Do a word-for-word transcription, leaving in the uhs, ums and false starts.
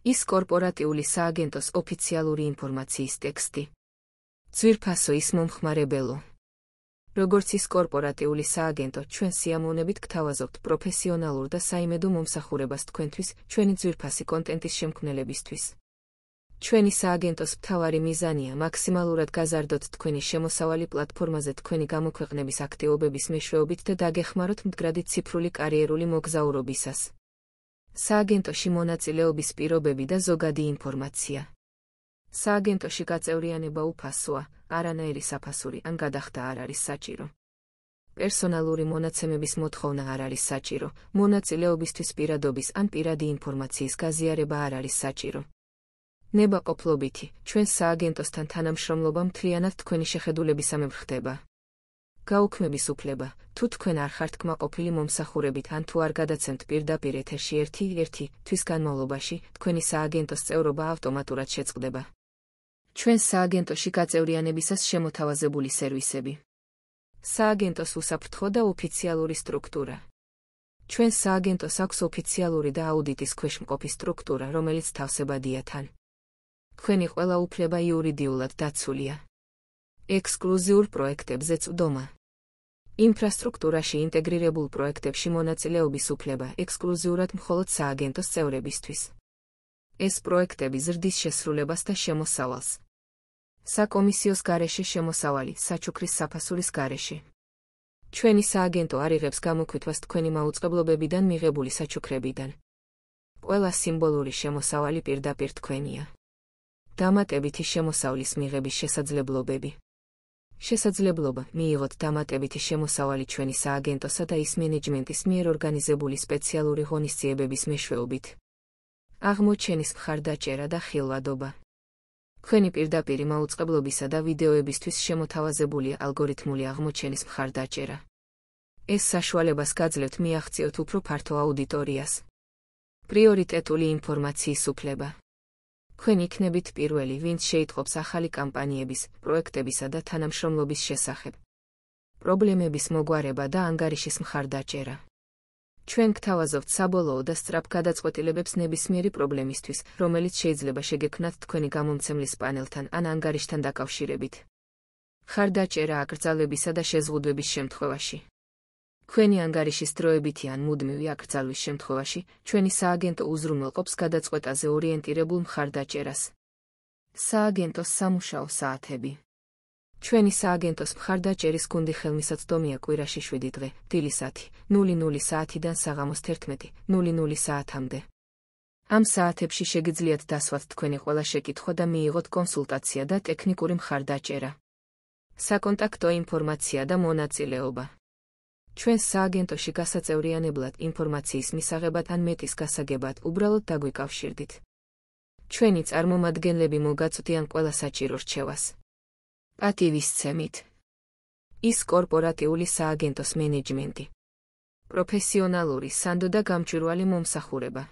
ის კორპორატიული სააგენტოს ოფიციალური ინფორმაციის ტექსტი. ძვირფასო ის მომხმარებელო. როგორც ის კორპორატიული სააგენტო, ჩვენ სიამოვნებით გთავაზობთ პროფესიონალურ და საიმედო მომსახურებას თქვენთვის, ჩვენი ძვირფასი კონტენტის შემქმნელებისთვის. ჩვენი სააგენტოს მთავარი მიზანია მაქსიმალურად გაზარდოთ თქვენი შემოსავალი პლატფორმაზე თქვენი გამოქვეყნების აქტივობების მეშვეობით და დაგეხმაროთ მდგრადი ციფრული კარიერული მოგზაურობისას. სააგენტოში მონაწილეობის პირობები და ზოგადი ინფორმაცია. სააგენტოში გაწევრიანება უფასოა, არანაირი საფასური ან გადახდა არ არის საჭირო. პერსონალური მონაცემების მოთხოვნა არ არის საჭირო, მონაწილეობისთვის პირადობის ან პირადი ინფორმაციის გაზიარება არ არის საჭირო. ნებაყოფლობითი, ჩვენ სააგენტოსთან თანამშრომლობა მთლიანად თქვენი შეხედულებისამებრ ხდება. გაუქმების უფლება, თუ თქვენ არ ხართ კმაყოფილი მომსახურებით ან თუ არ გადაცემთ პირდაპირ ეთერში ერთი-ერთი თვის განმავლობაში, თქვენი სააგენტოს წევრობა ავტომატურად შეწყდება. ჩვენ სააგენტოში გაწევრიანებისას შემოთავაზებული სერვისები. სააგენტოს უსაფრთხო და ოფიციალური სტრუქტურა. ჩვენ სააგენტოს აქვს ოფიციალური და აუდიტის ქვეშ მყოფი სტრუქტურა, რომელიც თავსებადია თან. თქვენი ყველა უფლება იურიდიულად დაცულია. ექსკლუზიურ პროექტებზე წვდომა. ინფრასტრუქტურაში ინტეგრირებულ პროექტებში მონაწილეობის უფლება ექსკლუზიურად მხოლოდ სააგენტოს წევრებისთვის. ეს პროექტები ზრდის შესრულებას და შემოსავალს. საკომისიოს გარეშე შემოსავალი, საჩუქრის საფასურის გარეშე. ჩვენი სააგენტო არ იღებს გამოქვითვას თქვენი მაუწყებლობებიდან მიღებული საჩუქრებიდან. ყველა სიმბოლური შემოსავალი პირდაპირ თქვენია. დამატებითი შემოსავლის მიღების შესაძლებლობები. შესაძლებლობა მიიღოთ დამატებითი შემოსავალი ჩვენი სააგენტოსა და ის მენეჯმენტის მიერ ორგანიზებული სპეციალური ღონისძიებების მეშვეობით. აღმოჩენის მხარდაჭერა და ხილვადობა. თქვენი პირდაპირი მაუწყებლობისა და ვიდეოებისთვის შემოთავაზებულია ალგორითმული აღმოჩენის მხარდაჭერა. ეს საშუალებას გაძლევთ მიაღწიოთ უფრო ფართო აუდიტორიას. პრიორიტეტული ინფორმაციის უფლება. თქვენ იქნებით პირველი, ვინც შეიტყობს ახალი კამპანიების, პროექტებისა და თანამშრომლობის შესახებ. პრობლემების მოგვარება და ანგარიშის მხარდაჭერა. ჩვენ გთავაზობთ საბოლოო და სწრაფ გადაწყვეტილებებს ნებისმიერი პრობლემისთვის, რომელიც შეიძლება შეგექმნათ თქვენი გამომცემლის პანელთან ან ანგარიშთან დაკავშირებით. მხარდაჭერა აკრძალებისა და შეზღუდვების შემთხვევაში. თქვენი ანგარიშის დროებითი ან მუდმივი აკრძალვის შემთხვევაში, ჩვენი სააგენტო უზრუნველყოფს გადაწყვეტაზე ორიენტირებულ მხარდაჭერას. სააგენტოს სამუშაო საათები. ჩვენი სააგენტოს მხარდაჭერის გუნდი ხელმისაწვდომია კვირაში შვიდი დღე, დილისათი, ნული ნული საათიდან საღამოს თერთმეტი ნული ნული საათამდე. ამ საათებში შეგიძლიათ დასვათ თქვენი ყველა შეკითხვა და მიიღოთ კონსულტაცია და ტექნიკური მხარდაჭერა. საკონტაქტო ინფორმაცია და მონაწილეობა. ჩვენ სააგენტოში გასაწევრიანებლად ინფორმაციის მისაღებად ან მეტის გასაგებად უბრალოდ დაგვიკავშირდით. ჩვენი წარმომადგენლები მოგაწვდიან ყველა საჭირო რჩევას. პატივისცემით. ის კორპორატიული სააგენტოს მენეჯმენტი. პროფესიონალური სანდო და გამჭვირვალე მომსახურება.